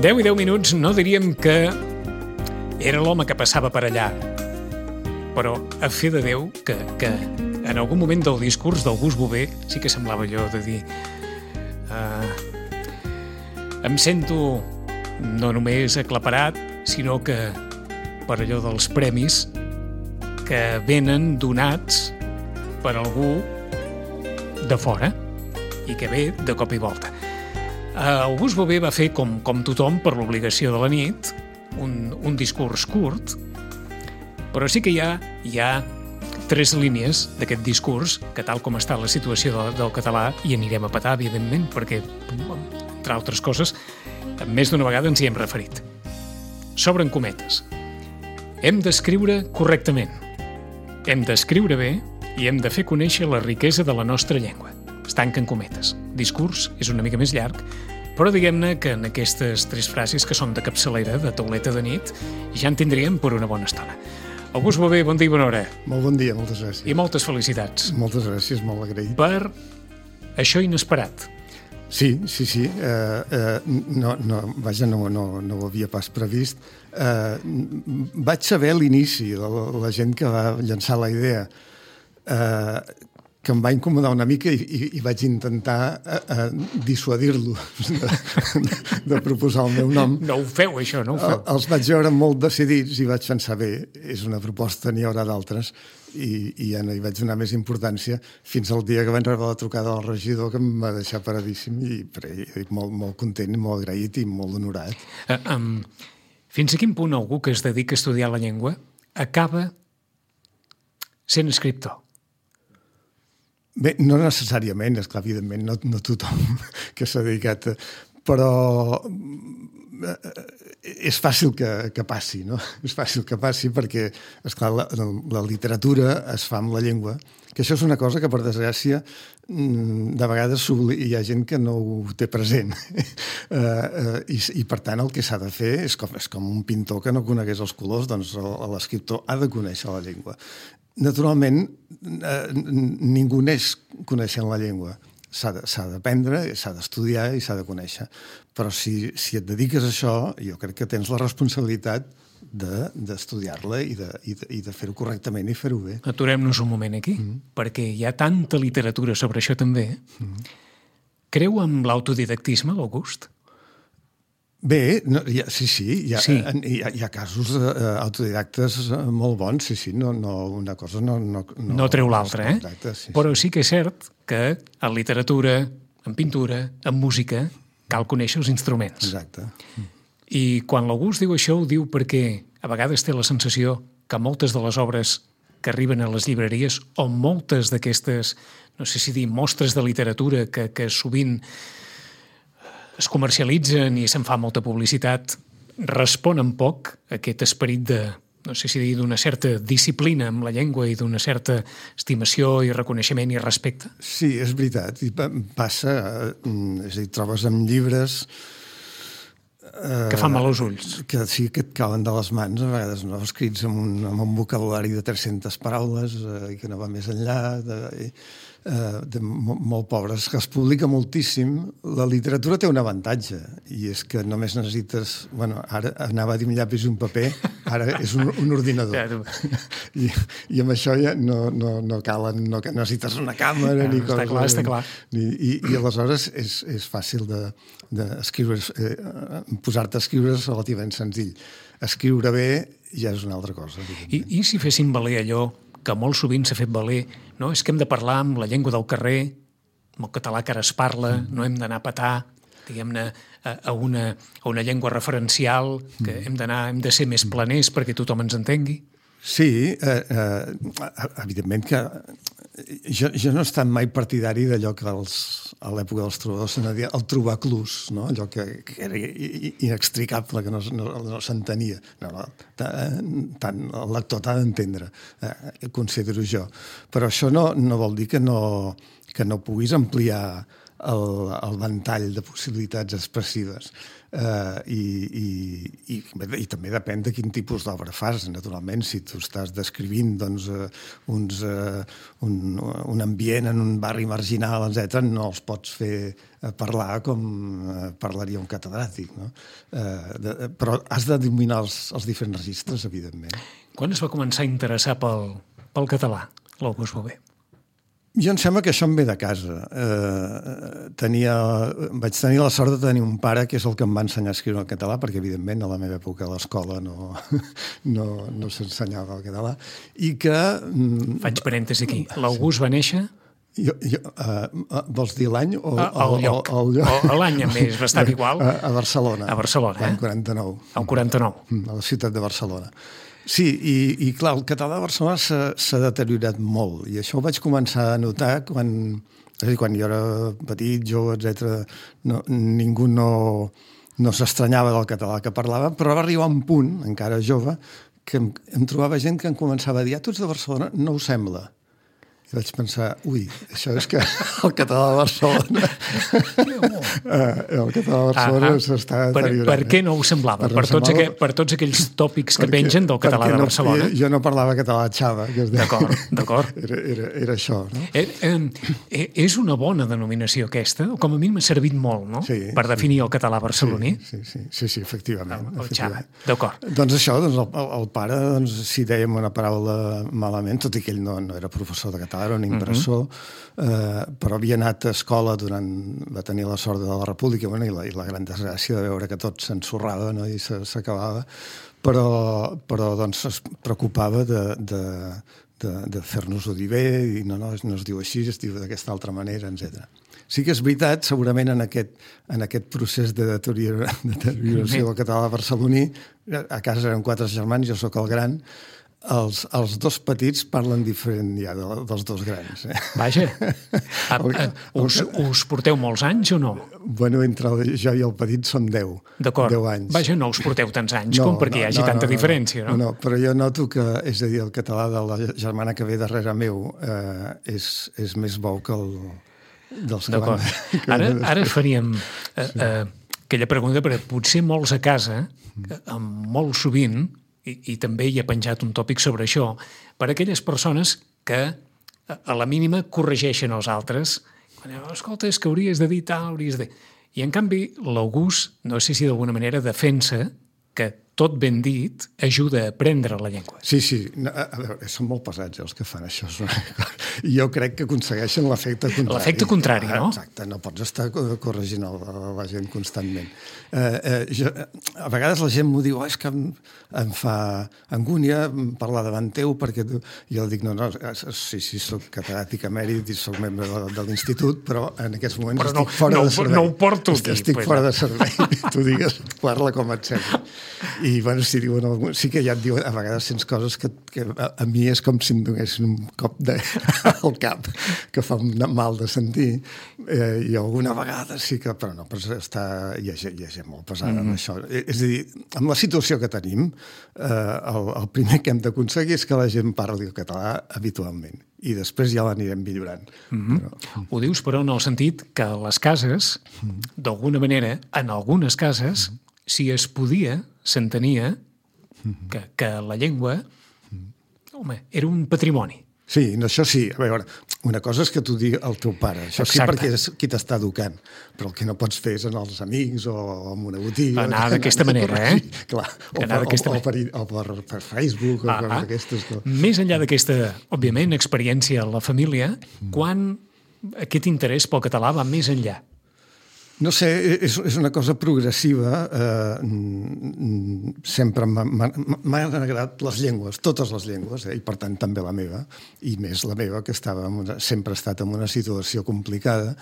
10 i 10 minuts no diríem que era l'home que passava per allà, però a fe de Déu que en algun moment del discurs d'August Bové sí que semblava allò de dir em sento no només aclaparat, sinó que per allò dels premis que venen donats per algú de fora i que ve de cop i volta. August Bové va fer, com tothom, per l'obligació de la nit, un discurs curt, però sí que hi ha 3 línies d'aquest discurs que, tal com està la situació del català, hi anirem a petar, evidentment, perquè, entre altres coses, més d'una vegada ens hi hem referit. S'obren cometes. Hem d'escriure correctament, hem d'escriure bé i hem de fer conèixer la riquesa de la nostra llengua. Es tanquen cometes. Discurs és una mica més llarg, però diguem-ne que en aquestes 3 frases que són de capçalera, de tauleta de nit, ja en tindríem per una bona estona. August Bové, bon dia i bona hora. Molt bon dia, moltes gràcies. I moltes felicitats. Moltes gràcies, molt agraït. Per això inesperat. Sí. No ho havia pas previst. Vaig saber a l'inici, la gent que va llançar la idea, que em va incomodar una mica i vaig intentar dissuadir-lo de proposar el meu nom. No ho feu, això, no ho feu. Els vaig veure molt decidits i vaig pensar, bé, és una proposta, n'hi haurà d'altres, i ja no hi vaig donar més importància fins al dia que vaig rebre la trucada del regidor, que em va deixar paradíssim i molt content, molt agraït i molt honorat. Fins a quin punt algú que es dedica a estudiar la llengua acaba sent escriptor? Bé, no necessàriament, esclar, evidentment, no tothom que s'ha dedicat, però és fàcil que passi, no? És fàcil que passi perquè, esclar, la literatura es fa amb la llengua, que això és una cosa que, per desgràcia, de vegades hi ha gent que no ho té present. I per tant, el que s'ha de fer és com un pintor que no conegués els colors, doncs l'escriptor ha de conèixer la llengua. Naturalment, ningú neix coneixent la llengua. S'ha d'aprendre, s'ha d'estudiar i s'ha de conèixer. Però si et dediques a això, jo crec que tens la responsabilitat d'estudiar-la i de fer-ho correctament i fer-ho bé. Aturem-nos un moment aquí, perquè hi ha tanta literatura sobre això també. Creu en l'autodidactisme, l'August? Bé, sí, hi ha casos autodidactes molt bons, sí, una cosa no treu l'altra, sí. Però sí que és cert que en literatura, en pintura, en música, cal conèixer els instruments. Exacte. I quan l'August diu això, ho diu perquè a vegades té la sensació que moltes de les obres que arriben a les llibreries o moltes d'aquestes, no sé si dir, mostres de literatura que sovint es comercialitzen i se'n fa molta publicitat, responen poc a aquest esperit de, no sé si dir, d'una certa disciplina amb la llengua i d'una certa estimació i reconeixement i respecte. Sí, és veritat. I passa, és a dir, trobes amb llibres que fan mal als ulls. Que sí, que et cauen de les mans, a vegades no, escrits amb un vocabulari de 300 paraules i que no va més enllà, molt pobres, que es publica moltíssim. La literatura té un avantatge, i és que només necessites... Bueno, ara anava a dir un llapis i un paper, ara és un ordinador. I amb això ja no calen, no necessites una càmera ni coses. Està clar. I aleshores és fàcil d'escriure, posar-te a escriure és relativament senzill. Escriure bé ja és una altra cosa. I si fessin valer allò que molt sovint s'ha fet valer, no? És que hem de parlar amb la llengua del carrer, amb el català que ara es parla, no hem d'anar a petar, diguem-ne, a una llengua referencial, que hem de ser més planers perquè tothom ens entengui. Sí, evidentment que jo no he estat mai partidari d'allò que a l'època dels trobadors se n'ha dit el trobaclús, no? Allò que era inextricable, que no s'entenia. Tant el lector t'ha d'entendre, considero jo. Però això no vol dir que no puguis ampliar el ventall de possibilitats expressives. I també depèn de quin tipus d'obra fas, naturalment. Si tu estàs descrivint doncs, un ambient en un barri marginal, etc., no els pots fer parlar com parlaria un catedràtic, no? Però has de dominar els diferents registres, evidentment. Quan es va començar a interessar pel català, l'August Bové? Jo em sembla que això em ve de casa. Vaig tenir la sort de tenir un pare que és el que em va ensenyar a escriure el català, perquè, evidentment, a la meva època a l'escola no s'ensenyava el català. I que... Faig parèntesi aquí. L'August va néixer... Vols dir l'any o el lloc? L'any és bastant igual. A Barcelona. A Barcelona, L'any 49. El 49. A la ciutat de Barcelona. Sí, i clar, el català de Barcelona s'ha deteriorat molt, i això ho vaig començar a notar quan jo era petit, jove, etc. Ningú no s'estranyava del català que parlava, però va arribar un punt, encara jove, que em trobava gent que em començava a dir: tu ets de Barcelona, no ho sembla. I vaig pensar, això és que el català de Barcelona s'està deteriorant. Per què no ho semblava? Per tots aquells tòpics que pengen del català de Barcelona? Jo no parlava català xava. D'acord. Era això, no? És una bona denominació aquesta, o com a mi m'ha servit molt, no? Per definir el català barceloní? Sí, efectivament. El xava, d'acord. Doncs això, el pare, si dèiem una paraula malament, tot i que ell no era professor de català, era un impressor, però havia anat a escola va tenir la sort de la República i la gran desgràcia de veure que tot s'ensorrava, no? I s'acabava, però doncs es preocupava de fer-nos-ho dir bé, i no es diu així, es diu d'aquesta altra manera, etc. Sí que és veritat, segurament en aquest procés de deterioració del català barceloní, a casa eren 4 germans, jo sóc el gran, els dos petits parlen diferent ja dels dos grans. Vaja. Us porteu molts anys o no? Bueno, entre jo i el petit són 10. D'acord. 10 anys. Vaja, no us porteu tants anys com perquè hi hagi tanta diferència, no? No, però jo noto que, és a dir, el català de la germana que ve darrere meu és més bo que el dels que van... Ara faríem aquella pregunta, perquè potser molts a casa, molt sovint, i també hi ha penjat un tòpic sobre això, per a aquelles persones que a la mínima corregeixen els altres. Escolta, és que hauries de dir tal, hauries de... I en canvi l'August, no sé si d'alguna manera defensa que tot ben dit ajuda a aprendre la llengua. Sí. A veure, són molt pesats els que fan això. I jo crec que aconsegueixen l'efecte contrari. L'efecte contrari, no? Exacte, no pots estar corregint la gent constantment. A vegades la gent m'ho diu, és que em fa angúnia parlar davant teu, perquè jo dic, no, sí, soc catedràtic emèrit i soc membre de l'institut, però en aquests moments estic fora de servei. No ho porto aquí. Estic fora de servei. Tu digues, parla com et sembla. I, bueno, sí que ja et diuen, a vegades sents coses que a mi és com si em donessin un cop al cap, que fa mal de sentir, i alguna vegada sí que... Però no, hi ha gent molt pesada amb això. És a dir, amb la situació que tenim, el primer que hem d'aconseguir és que la gent parli el català habitualment, i després ja l'anirem millorant. Ho dius, però, en el sentit que les cases, d'alguna manera, en algunes cases, si es podia, s'entenia que la llengua, home, era un patrimoni. Sí, això sí. A veure, una cosa és que t'ho digui el teu pare. Això sí, perquè és qui t'està educant. Però el que no pots fer és en els amics o en una botiga. Anar d'aquesta manera, eh? Clar, o per Facebook o per aquestes coses. Més enllà d'aquesta, òbviament, experiència a la família, quan aquest interès pel català va més enllà? No sé, és una cosa progressiva. Sempre m'han agradat les llengües, totes les llengües, i per tant també la meva, i més la meva, que sempre ha estat en una situació complicada.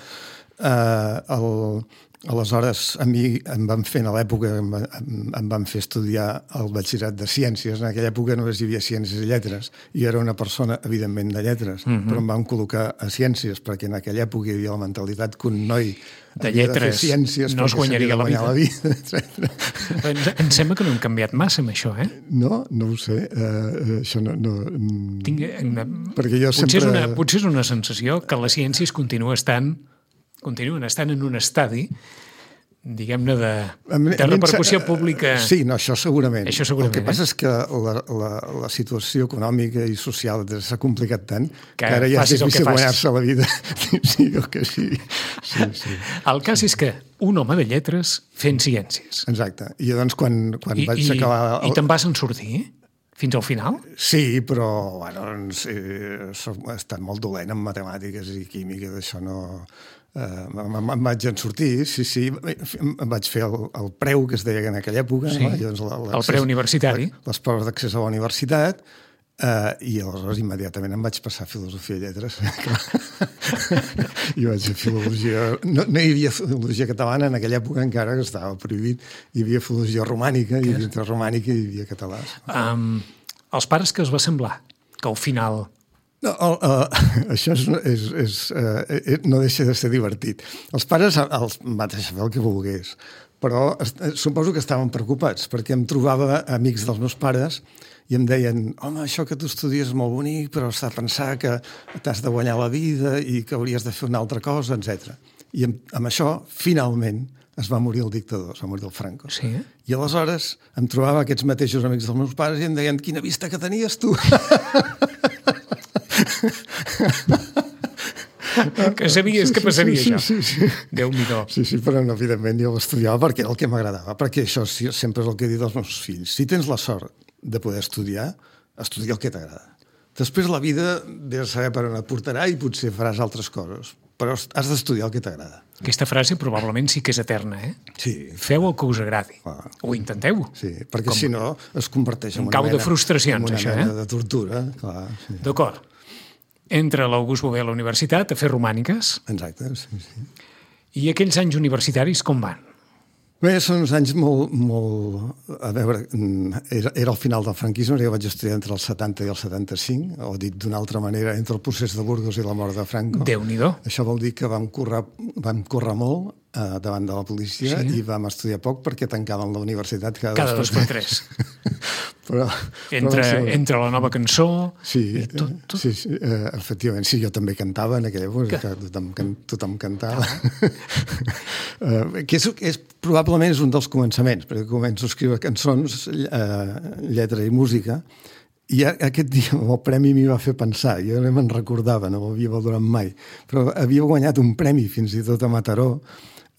Aleshores, a mi em van fer, a l'època, em van fer estudiar el batxillerat de Ciències. En aquella època només hi havia Ciències i Lletres. I era una persona, evidentment, de lletres, però em van col·locar a Ciències, perquè en aquella època hi havia la mentalitat que un noi de lletres no es guanyaria la vida. Em sembla que no hem canviat massa amb això, eh? No ho sé. Això no... Perquè jo potser és una sensació que la ciència continua estant continuen estant en un estadi, diguem-ne, de repercussió pública. Sí, no, això segurament. Això segurament. El que passa és que la situació econòmica i social s'ha complicat tant que ara ja és difícil guanyar-se la vida. Sí, o que sí. Sí. El cas és que un home de lletres fent ciències. Exacte. I llavors quan vaig acabar... I te'n vas en sortir? Fins al final? Sí, però bueno, he estat molt dolent en matemàtiques i química, d'això no... Em vaig en sortir, sí, em vaig fer el preu que es deia en aquella època. Sí, no? el preu universitari. Les proves d'accés a la universitat, i aleshores immediatament em vaig passar a filosofia i lletres. I vaig fer filologia... No hi havia filologia catalana en aquella època encara, que estava prohibit. Hi havia filologia romànica, i dintre romànica hi havia català. Els pares que es va semblar? Que al final... No, això no deixa de ser divertit. Els pares em van deixar fer el que volgués, però suposo que estaven preocupats, perquè em trobava amics dels meus pares i em deien, home, això que tu estudies és molt bonic, però s'ha de pensar que t'has de guanyar la vida i que hauries de fer una altra cosa, etc. I amb això, finalment, es va morir el dictador, es va morir el Franco. Sí? I aleshores em trobava aquests mateixos amics dels meus pares i em deien, quina vista que tenies tu! Que sabies que passaria això. Sí. Déu-n'hi-do. Sí, però no, evidentment jo l'estudiava perquè era el que m'agradava, perquè això sempre és el que he dit als meus fills. Si tens la sort de poder estudiar, estudia el que t'agrada. Després la vida ve a saber per on et portarà i potser faràs altres coses, però has d'estudiar el que t'agrada. Aquesta frase probablement sí que és eterna, eh? Sí. Feu el que us agradi. O intenteu. Sí, perquè si no es converteix en una mena... de frustracions, això, de tortura, clar. Sí. D'acord. Entra l'August Bové a la universitat a fer romàniques. Exacte, sí. I aquells anys universitaris com van? Bé, són uns anys molt... A veure, era el final del franquisme, jo vaig estudiar entre el 70 i el 75, o dit d'una altra manera, entre el procés de Burgos i la mort de Franco. Déu-n'hi-do. Això vol dir que vam córrer molt davant de la policia i vam estudiar poc perquè tancaven la universitat cada 2 per 3. Però entre la nova cançó... Sí, tot. Sí, efectivament. Sí, jo també cantava en aquella època, tothom cantava. Que és probablement és un dels començaments, perquè començo a escriure cançons, lletra i música, i aquest dia el premi m'hi va fer pensar, jo no me'n recordava, no m'havia valorat mai, però havia guanyat un premi fins i tot a Mataró,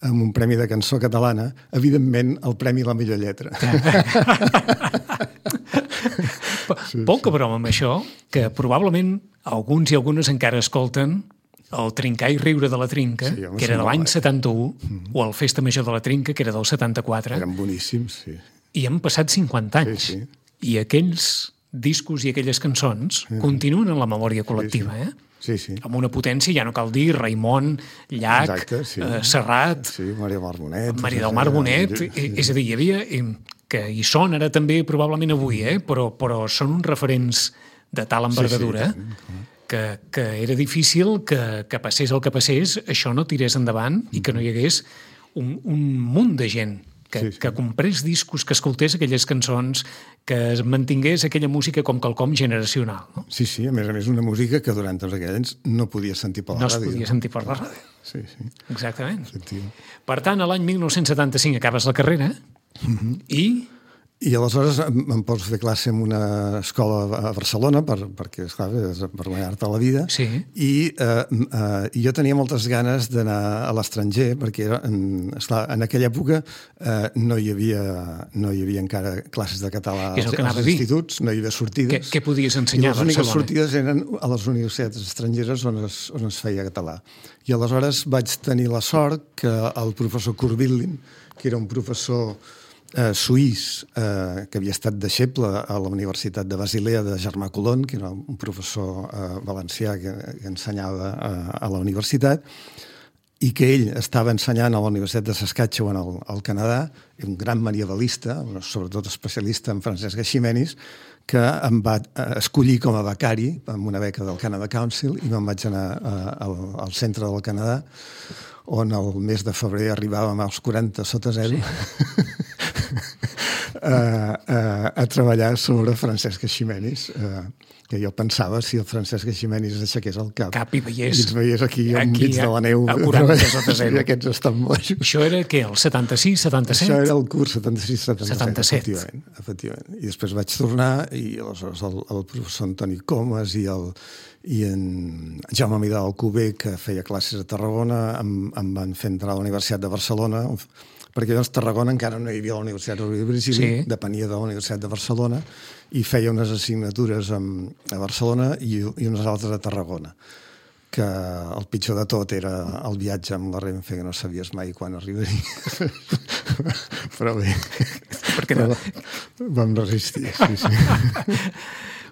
amb un premi de cançó catalana, evidentment el premi a la millor lletra. Poca broma amb això, que probablement alguns i algunes encara escolten el Trincar i riure de la Trinca, que era de l'any 71, o el Festa Major de la Trinca, que era del 74. Eren boníssims, sí. I han passat 50 anys. Sí. I aquells discos i aquelles cançons continuen en la memòria col·lectiva, eh? Sí. Amb una potència, ja no cal dir, Raimon, Llach, exacte, sí. Serrat... Sí, Maria del Mar Bonet... Maria del Mar Bonet, és a dir, hi havia... que hi són ara també probablement avui, però són uns referents de tal envergadura que era difícil que passés el que passés, això no tirés endavant i que no hi hagués un munt de gent que comprés discos, que escoltés aquelles cançons, que es mantingués aquella música com quelcom generacional. No? Sí, a més una música que durant tots aquells anys no podia sentir per la ràdio. No es podia sentir per la ràdio. Sí. Exactament. Per tant, a l'any 1975 acabes la carrera I aleshores em pots fer classe en una escola a Barcelona perquè, esclar, per guanyar-te la vida. Sí. I jo tenia moltes ganes d'anar a l'estranger perquè, esclar, en aquella època no hi havia encara classes de català als instituts, no hi havia sortides. Què podies ensenyar a Barcelona? I les úniques sortides eren a les universitats estrangeres on es feia català. I aleshores vaig tenir la sort que el professor Kurvillin, que era un professor suís que havia estat deixeble a la Universitat de Basilea de Germà Colón, que era un professor valencià que ensenyava a la universitat, i que ell estava ensenyant a la Universitat de Saskatchewan al Canadà, un gran medievalista, sobretot especialista en Francesc Eiximenis, que em va escollir com a becari amb una beca del Canada Council i me'n vaig anar al centre del Canadà, on el mes de febrer arribàvem als 40 sota zero. a treballar sobre Francesc Eiximenis, que jo pensava si el Francesc Eiximenis aixequés el cap i ens veiés aquí enmig de la neu a 40 sota zero. I aquests estan bojos. Això era què, el 76, 77? Això era el curs 76-77, 77. efectivament. I després vaig tornar i aleshores el professor Antoni Comas i en Jaume Midal Alcover, que feia classes a Tarragona, em van fer entrar a la Universitat de Barcelona, perquè llavors Tarragona encara no hi havia la Universitat Rovira i Virgili, depenia de la Universitat de Barcelona, i feia unes assignatures a Barcelona i unes altres a Tarragona, que el pitjor de tot era el viatge amb la Renfe, que no sabies mai quan arribaria. Però bé, vam resistir, sí.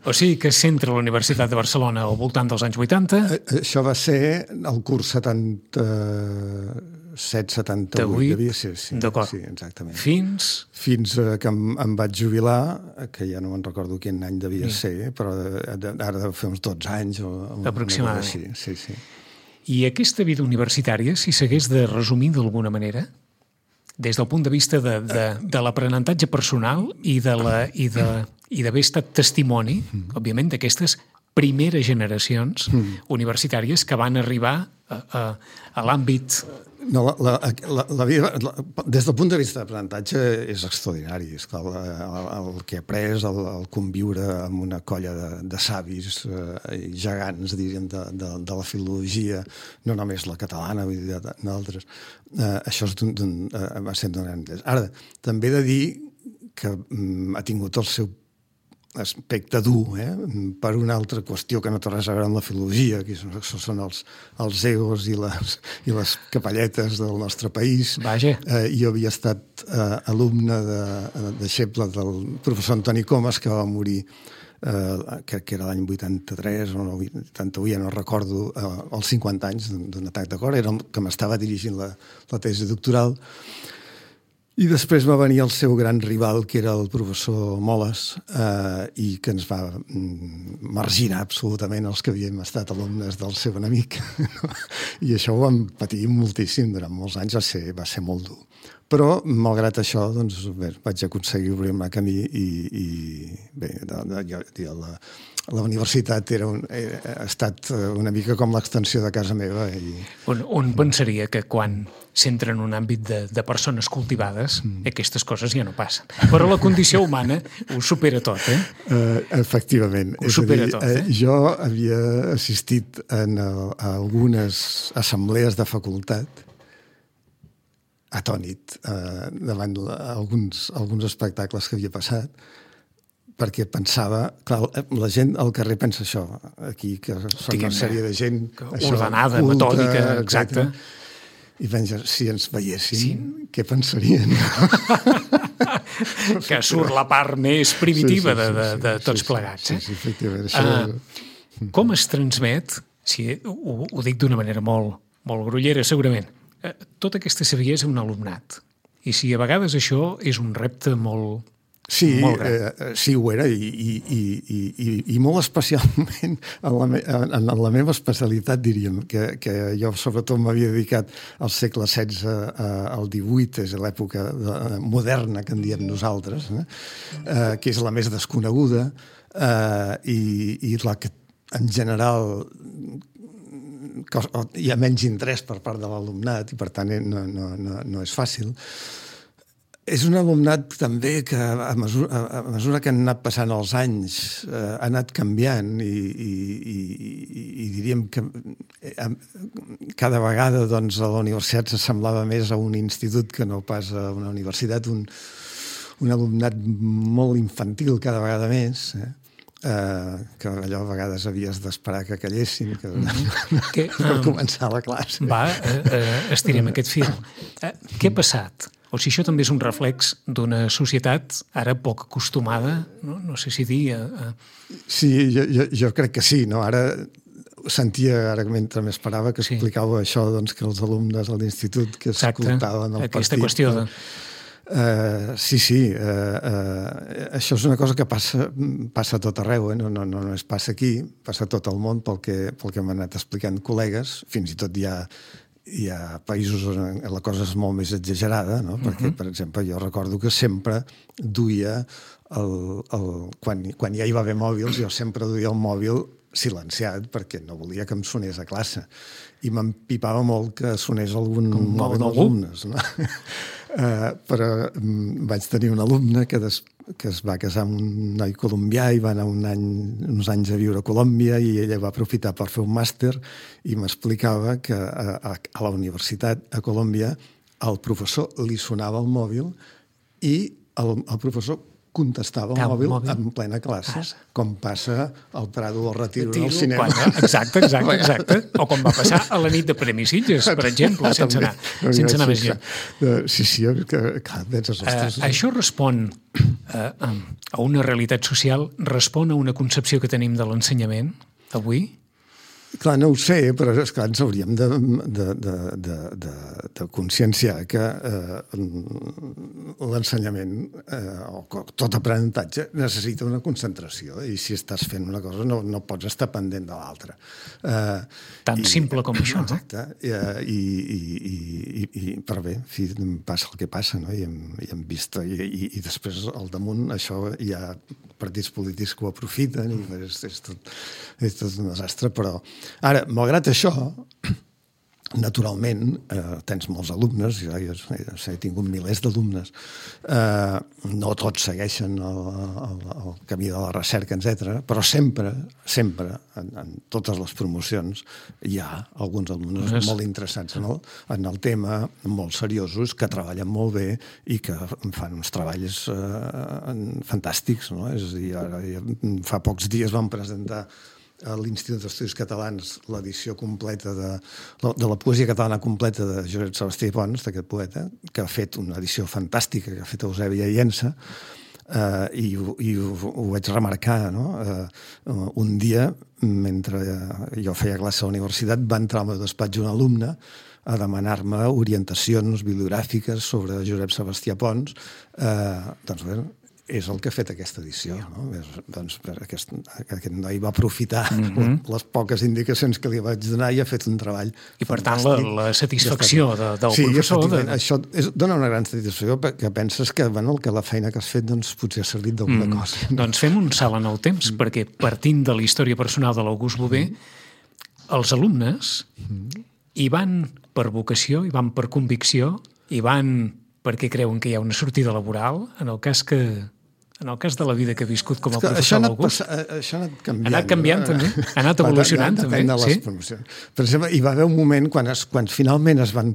O sigui que s'entra a la Universitat de Barcelona al voltant dels anys 80? Això va ser el curs 77-78. Sí, d'acord. Sí, exactament. Fins que em vaig jubilar, que ja no me'n recordo quin any devia ser, però ara deu fer uns 12 anys. Aproximadament. Sí. I aquesta vida universitària, si s'hagués de resumir d'alguna manera, des del punt de vista de l'aprenentatge personal i d'haver estat testimoni, òbviament, d'aquestes primeres generacions universitàries que van arribar a l'àmbit... No, la vida, des del punt de vista d'aprenentatge, és extraordinari. És clar, el que he après, el conviure amb una colla de savis gegants, diríem, de la filologia, no només la catalana, vull dir, d'altres. Això va ser d'un gran interès. Ara, també he de dir que ha tingut el seu aspecte dur, per una altra qüestió que no té res a veure amb la filologia, que són els egos i les capelletes del nostre país. Vaja. Jo havia estat alumne deixeble del professor Antoni Comas, que va morir, que era l'any 83 o 81, ja no recordo, als 50 anys d'un atac de cor, era el que m'estava dirigint la tesi doctoral. I després va venir el seu gran rival, que era el professor Moles, i que ens va marginar absolutament els que havíem estat alumnes del seu enemic. I això ho vam patir moltíssim durant molts anys, va ser molt dur. Però, malgrat això, doncs, vaig aconseguir obrir-me camí i bé, la universitat ha estat una mica com l'extensió de casa meva. On pensaria que quan s'entra en un àmbit de persones cultivades, aquestes coses ja no passen. Però la condició humana ho supera tot, Efectivament. Ho supera tot, Jo havia assistit a algunes assemblees de facultat atònit davant alguns espectacles que havia passat, perquè pensava, clar, la gent al carrer pensa això, aquí, que són una sèrie de gent... Ordenada, metòdica, exacte. I pensa, si ens veiessin, què pensarien? Que surt la part més primitiva de tots plegats. Sí, efectivament. Com es transmet, ho dic d'una manera molt grollera, segurament, tota aquesta saviesa a un alumnat. I si a vegades això és un repte molt gran. Sí, ho era, i molt especialment en la meva especialitat, diríem, que jo sobretot m'havia dedicat al segle XVI al XVIII, és l'època moderna que en diem nosaltres, que és la més desconeguda i la que en general hi ha menys interès per part de l'alumnat i per tant no és fàcil. És un alumnat també que a mesura que han anat passant els anys ha anat canviant i diríem que cada vegada doncs, a la universitat s'assemblava més a un institut que no pas a una universitat, un alumnat molt infantil cada vegada més, que allò a vegades havies d'esperar que callessin per començar la classe. Estirem aquest fil. Què ha passat? O si això també és un reflex d'una societat ara poc acostumada, no sé si dir... Sí, jo crec que sí. Ara sentia, ara mentre m'esperava, que explicava això, que els alumnes de l'institut que escoltaven el partit... Aquesta qüestió de... Sí. Això és una cosa que passa a tot arreu, no es passa aquí, passa a tot el món pel que m'han anat explicant col·legues, fins i tot hi ha hi ha països on la cosa és molt més exagerada, no? Perquè, per exemple, jo recordo que sempre duia quan ja hi va haver mòbils, jo sempre duia el mòbil silenciat perquè no volia que em sonés a classe i m'empipava molt que sonés algun mòbil dels alumnes, no? Però vaig tenir un alumne que es va casar amb un noi colombià i va anar uns anys a viure a Colòmbia i ella va aprofitar per fer un màster i m'explicava que a la universitat a Colòmbia el professor li sonava el mòbil i el professor contestava el mòbil en plena classe, com passa al Prado del Retiro al cinema. Exacte. O com va passar a la nit de Premis Sitges, per exemple, sense anar més lluny. Sí, clar, penses, ostres. Això respon a una realitat social, respon a una concepció que tenim de l'ensenyament avui? Clar, no ho sé, però esclar, ens hauríem de conscienciar que l'ensenyament o tot aprenentatge necessita una concentració i si estàs fent una cosa no pots estar pendent de l'altra. Tan simple com això, no? Exacte. Però bé, passa el que passa, no? I hem vist, i després al damunt això hi ha partits polítics que ho aprofiten i és tot un desastre, però ara, malgrat això, naturalment, tens molts alumnes, jo he tingut milers d'alumnes, no tots segueixen el camí de la recerca, etc., però sempre, en totes les promocions, hi ha alguns alumnes molt interessats en el tema, molt seriosos, que treballen molt bé i que fan uns treballs fantàstics, no? És a dir, ara, fa pocs dies vam presentar a l'Institut d'Estudis Catalans l'edició completa de la poesia catalana completa de Josep Sebastià Pons, d'aquest poeta, que ha fet una edició fantàstica, que ha fet Eusebi Llença, i ho vaig remarcar, no? Un dia, mentre jo feia classe a la universitat, va entrar al meu despatx un alumne a demanar-me orientacions bibliogràfiques sobre Josep Sebastià Pons. Doncs bé, és el que ha fet aquesta edició, no? Doncs aquest noi va aprofitar les poques indicacions que li vaig donar i ha fet un treball i per tant la satisfacció del professor... Sí, això dona una gran satisfacció perquè penses que la feina que has fet potser ha servit d'alguna cosa. Doncs fem un salt en el temps, perquè partint de la història personal de l'August Bové, els alumnes hi van per vocació, hi van per convicció, hi van perquè creuen que hi ha una sortida laboral, en el cas de la vida que ha viscut com a professor l'August. Això ha anat canviant. Ha anat canviant, també. Ha anat evolucionant, també. Depèn de les promocions. Per exemple, hi va haver un moment quan finalment es van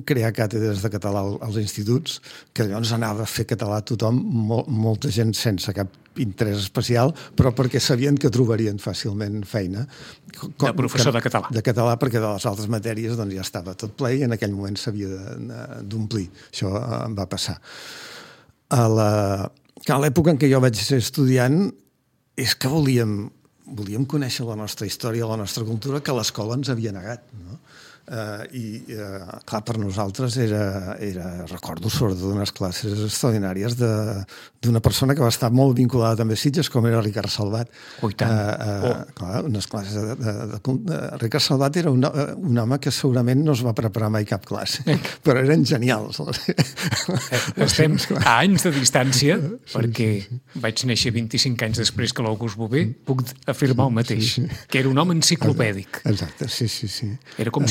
crear càtedres de català als instituts, que llavors anava a fer català a tothom, molta gent sense cap interès especial, però perquè sabien que trobarien fàcilment feina. De professor de català. De català, perquè de les altres matèries ja estava tot ple i en aquell moment s'havia d'omplir. Això em va passar. A l'època en què jo vaig ser estudiant és que volíem conèixer la nostra història, la nostra cultura, que l'escola ens havia negat, no? Clar, per nosaltres recordo sobretot unes classes extraordinàries d'una persona que va estar molt vinculada també a Sitges, com era Ricard Salvat. Clar, unes classes Ricard Salvat era un home que segurament no es va preparar mai cap classe, però eren genials. Estem a anys de distància, perquè vaig néixer 25 anys després que l'August Bové, puc afirmar el mateix, que era un home enciclopèdic. Exacte, sí. Era com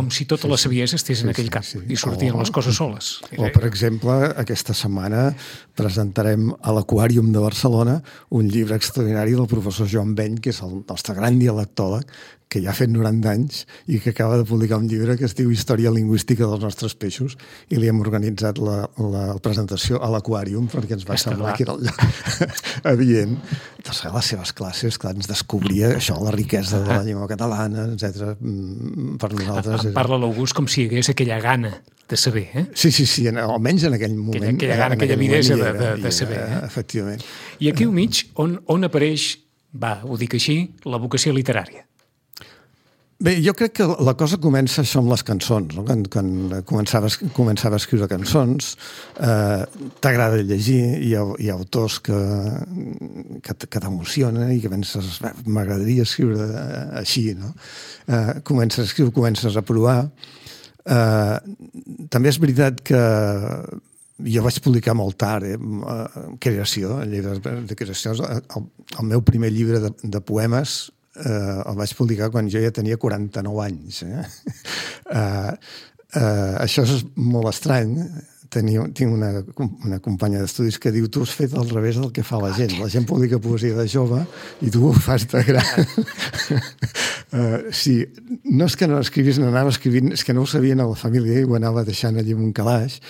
si tota la saviesa estés en aquell cap i sortien les coses soles. O, per exemple, aquesta setmana presentarem a l'Aquàrium de Barcelona un llibre extraordinari del professor Joan Beny, que és el nostre gran dialectòleg, que ja ha fet 90 anys i que acaba de publicar un llibre que es diu Història lingüística dels nostres peixos, i li hem organitzat la presentació a l'Aquàrium perquè ens va semblar que era el lloc adient. Doncs les seves classes, clar, ens descobria això, la riquesa de la llengua catalana, etc. Per nosaltres... Parla l'August com si hi hagués aquella gana de saber, eh? Sí, almenys en aquell moment. Aquella gana, aquella avidesa de saber. Efectivament. I aquí al mig, on apareix, ho dic així, la vocació literària? Bé, jo crec que la cosa comença això amb les cançons, no? Quan començava a escriure cançons, t'agrada llegir, hi ha autors que t'emocionen i que penses, m'agradaria escriure així, no? Comences a escriure, comences a provar. També és veritat que jo vaig publicar molt tard, creació, llibres de creació. El meu primer llibre de poemes el vaig publicar quan jo ja tenia 49 anys. Això és molt estrany. Tinc una companya d'estudis que diu tu has fet al revés del que fa la gent. La gent publica poesia de jove i tu ho fas de gran. Sí, no és que no escrivís, no anava escrivint, és que no ho sabien a la família i ho anava deixant allí en un calaix.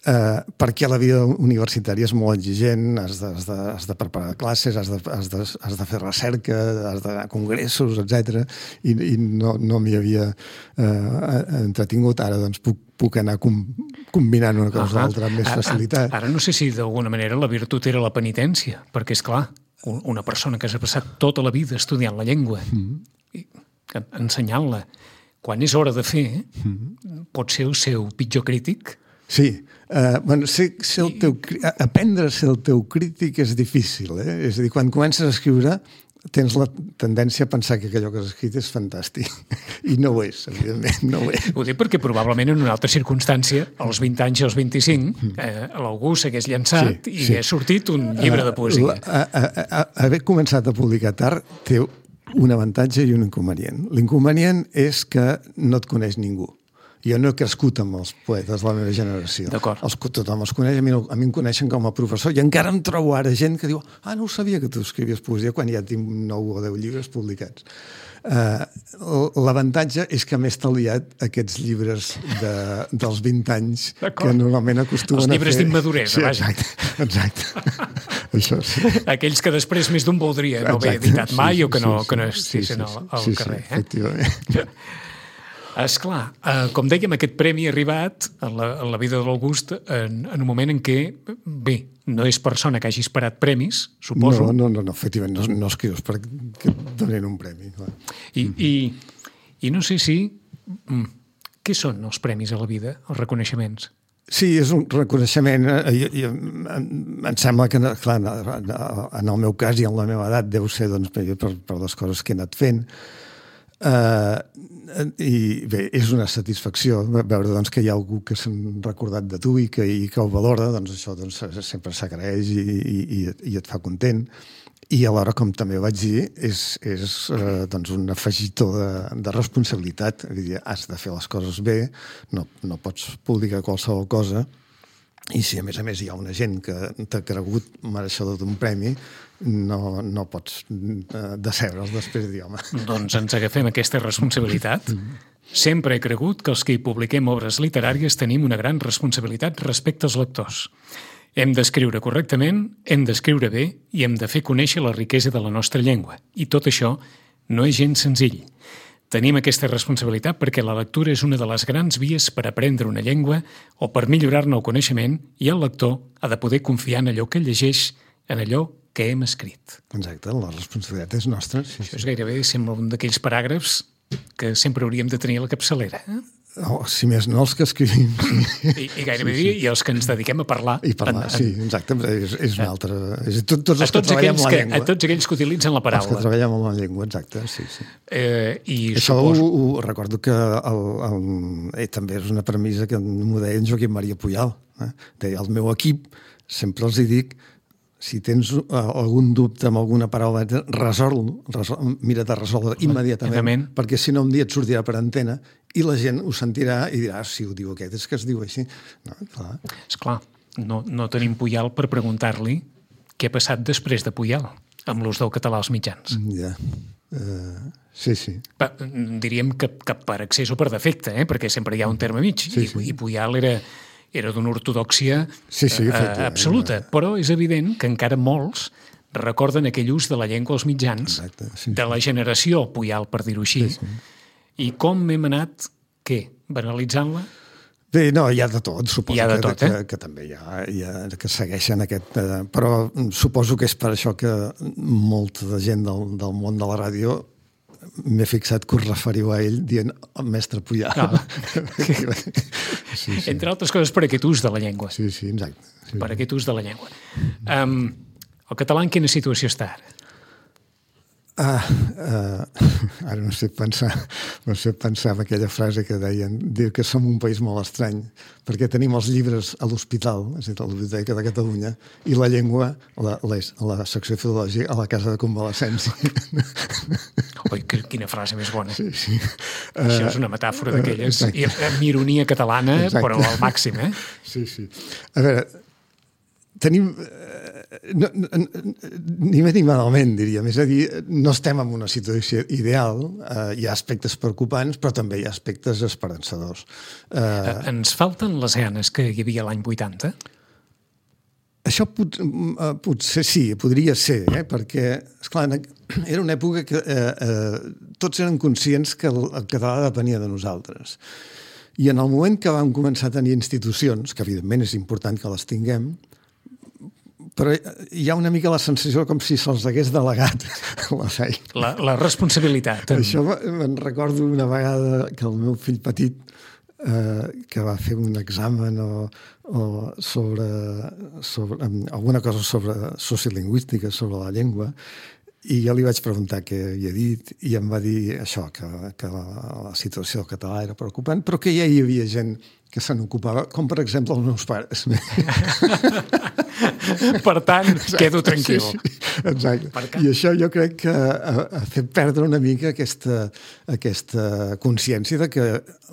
Perquè la vida universitària és molt exigent, has de preparar classes, has de fer recerca, has d'anar a congressos, etc. I no m'hi havia entretingut. Ara doncs puc anar combinant una cosa amb l'altra amb més facilitat. Ara no sé si d'alguna manera la virtut era la penitència, perquè és clar, una persona que s'ha passat tota la vida estudiant la llengua, ensenyant-la, quan és hora de fer, pot ser el seu pitjor crític. Sí, aprendre a ser el teu crític és difícil, És a dir, quan comences a escriure tens la tendència a pensar que allò que has escrit és fantàstic. I no ho és, evidentment, no ho és. Ho dic perquè probablement en una altra circumstància, als 20 anys i als 25, algú s'hagués llançat i hagués sortit un llibre de poesia. Haver començat a publicar tard té un avantatge i un inconvenient. L'inconvenient és que no et coneix ningú. Jo no he crescut amb els poetes de la meva generació. Tothom els coneix, a mi em coneixen com a professor i encara em trobo ara gent que diu no ho sabia que tu escrivies poesia quan ja tinc 9 o 10 llibres publicats. L'avantatge és que m'he estalviat aquests llibres dels 20 anys que normalment acostumen a fer... Els llibres d'immaduresa, vaja. Exacte. Això sí. Aquells que després més d'un voldria no haver editat mai o que no estiguessin al carrer. Sí, efectivament. Esclar, com dèiem, aquest premi ha arribat en la vida de l'August en un moment en què, bé, no és persona que hagi esperat premis, suposo. No, efectivament, no escrius perquè et donin un premi. I no sé si... Què són els premis a la vida, els reconeixements? Sí, és un reconeixement. Em sembla que, clar, en el meu cas i en la meva edat deu ser per les coses que he anat fent. I bé, és una satisfacció veure que hi ha algú que s'ha recordat de tu i que ho valora, això sempre s'agraeix i et fa content. I alhora, com també vaig dir, és un afegitó de responsabilitat. Has de fer les coses bé, no pots publicar qualsevol cosa. I si a més hi ha una gent que t'ha cregut mereixedor d'un premi, no pots decebre'ls després de dir, home. Doncs ens agafem aquesta responsabilitat. Sempre he cregut que els que hi publiquem obres literàries tenim una gran responsabilitat respecte als lectors. Hem d'escriure correctament, hem d'escriure bé i hem de fer conèixer la riquesa de la nostra llengua. I tot això no és gens senzill. Tenim aquesta responsabilitat perquè la lectura és una de les grans vies per aprendre una llengua o per millorar-ne el coneixement i el lector ha de poder confiar en allò que llegeix, en allò que hem escrit. Exacte, la responsabilitat és nostra. Sí. Això és gairebé, sembla, un d'aquells paràgrafs que sempre hauríem de tenir a la capçalera. Si més no, els que escrivim. I gairebé i els que ens dediquem a parlar. I parlar, sí, exacte. És una altra... Tots els que treballem la llengua. A tots aquells que utilitzen la paraula. Els que treballem amb la llengua, exacte, sí. Això ho recordo que també és una premissa que m'ho deia en Joaquim Maria Pujal. Deia, al meu equip sempre els dic, si tens algun dubte amb alguna paraula, mira de resoldre immediatament, perquè si no un dia et sortirà per antena i la gent ho sentirà i dirà, si ho diu aquest, és que es diu així. Esclar, no tenim Pujal per preguntar-li què ha passat després de Pujal amb l'ús del català als mitjans. Ja, sí. Diríem que per accés o per defecte, perquè sempre hi ha un terme mig, i Pujal era d'una ortodòxia absoluta, però és evident que encara molts recorden aquell ús de la llengua als mitjans, de la generació Pujal, per dir-ho així, i com hem anat, banalitzant-la? Bé, no, hi ha de tot, suposo que també hi ha que segueixen aquest... Però suposo que és per això que molta de gent del món de la ràdio m'he fixat que us referiu a ell dient el mestre Puyal. Sí. Entre altres coses per aquest ús de la llengua. Sí, exacte. Sí. Per aquest ús de la llengua. El català en quina situació està ara? Ara no sé pensar en aquella frase que deien, diu que som un país molt estrany, perquè tenim els llibres a l'hospital, és a dir, a la Biblioteca de Catalunya, i la llengua, la secció filològica, a la casa de convalescència. Oi, quina frase més bona. Sí. Això és una metàfora d'aquelles, amb ironia catalana, però al màxim, eh? Sí. A veure, tenim... ni bé ni malament, diríem. És a dir, no estem en una situació ideal, hi ha aspectes preocupants, però també hi ha aspectes esperançadors. Ens falten les ganes que hi havia l'any 80? Això potser sí, podria ser, perquè, esclar, era una època que tots eren conscients que el català depenia de nosaltres. I en el moment que vam començar a tenir institucions, que evidentment és important que les tinguem, però hi ha una mica la sensació com si se'ls hagués delegat la feina. La responsabilitat. Això me'n recordo una vegada que el meu fill petit, que va fer un examen sobre alguna cosa sobre sociolingüística, sobre la llengua, i jo li vaig preguntar què havia dit i em va dir això, que la situació del català era preocupant, però que ja hi havia gent que se n'ocupava, com per exemple els meus pares. Per tant, quedo tranquil. Sí, exacte. I això jo crec que ha fet perdre una mica aquesta consciència de que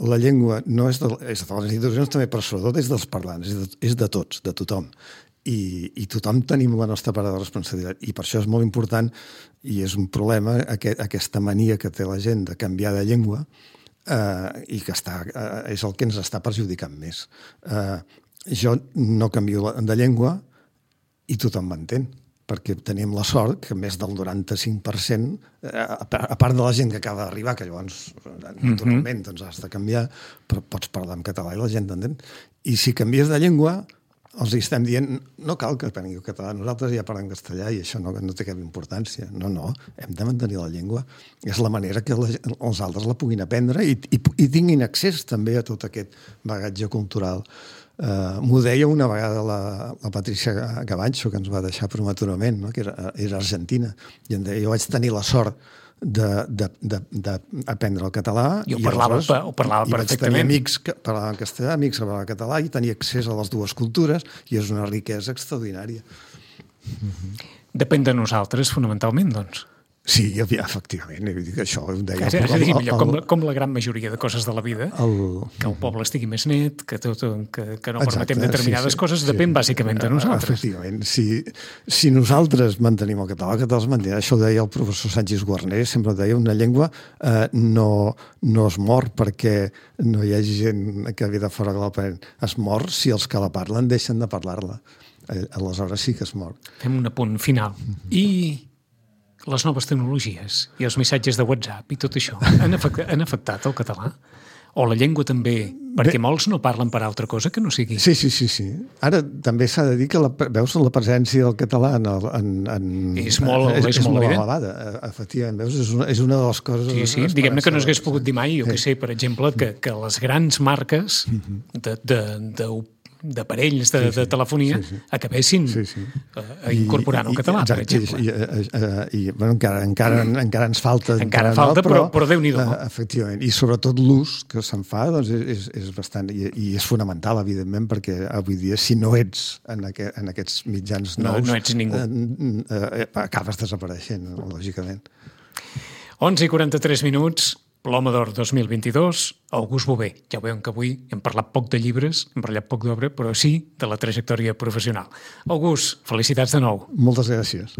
la llengua no és de les institucions també, però sobretot és dels parlants, és de tots, de tothom. I tothom tenim la nostra part de responsabilitat. I per això és molt important, i és un problema, aquesta mania que té la gent de canviar de llengua, i que és el que ens està perjudicant més. Jo no canvio de llengua i tothom m'entén, perquè tenim la sort que més del 95%, a part de la gent que acaba d'arribar, que llavors naturalment has de canviar, però pots parlar en català i la gent t'entén. I si canvies de llengua, els estem dient, no cal que aprengueu català, nosaltres ja parlem castellà i això no té cap importància. No, hem de mantenir la llengua. És la manera que els altres la puguin aprendre i tinguin accés també a tot aquest bagatge cultural. M'ho deia una vegada la Patricia Gavancho, que ens va deixar prematurament, no? Que era argentina, i em deia, jo vaig tenir la sort d'aprendre el català i ho parlava perfectament. Vaig tenir amics que parlaven castellà, amics que parlaven català i tenia accés a les dues cultures i és una riquesa extraordinària. Depèn de nosaltres, fonamentalment, doncs. Sí, efectivament, això ho deia. És a dir, com la gran majoria de coses de la vida, que el poble estigui més net, que no permetem determinades coses, depèn bàsicament de nosaltres. Efectivament, si nosaltres mantenim el català es mantindrà. Això ho deia el professor Sánchez Guarner, sempre deia, una llengua no es mor perquè no hi hagi gent que ve de fora que l'aprèn. Es mor si els que la parlen deixen de parlar-la. Aleshores sí que es mor. Fem un apunt final. I les noves tecnologies i els missatges de WhatsApp i tot això han afectat el català? O la llengua també? Perquè molts no parlen per altra cosa que no sigui. Sí. Ara també s'ha de dir que veus la presència del català és molt elevada. Efectivament, veus, és una de les coses... Sí, diguem-ne que no s'hagués pogut dir mai, jo que sé, per exemple, que les grans marques d'aparells de telefonia acabessin incorporant el català, per exemple. I encara ens falta... Encara falta, però Déu-n'hi-do. Efectivament, i sobretot l'ús que se'n fa és bastant... I és fonamental, evidentment, perquè avui dia, si no ets en aquests mitjans nous... No ets ningú. Acabes desapareixent, lògicament. 11:43, Ploma d'Or 2022, August Bové. Ja veuen que avui hem parlat poc de llibres, hem parlat poc d'obra, però sí de la trajectòria professional. August, felicitats de nou. Moltes gràcies.